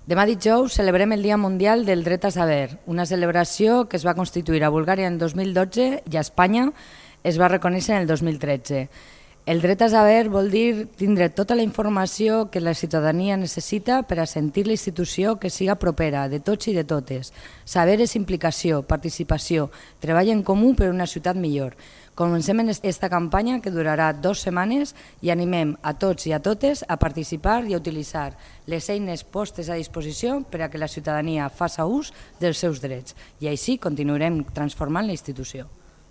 Demà dijous celebrem el Dia Mundial del Dret a Saber, una celebració que es va constituir a Bulgària en 2012 i a Espanya es va reconèixer en el 2013. El dret a saber vol dir tindre tota la informació que la ciutadania necessita per a sentir la institució que siga propera de tots i de totes. Saber és implicació, participació, treball en comú per una ciutat millor. Comencem en aquesta campanya que durarà 2 setmanes i animem a tots i a totes a participar i a utilitzar les eines postes a disposició per a que la ciutadania faci ús dels seus drets i així continuarem transformant la institució.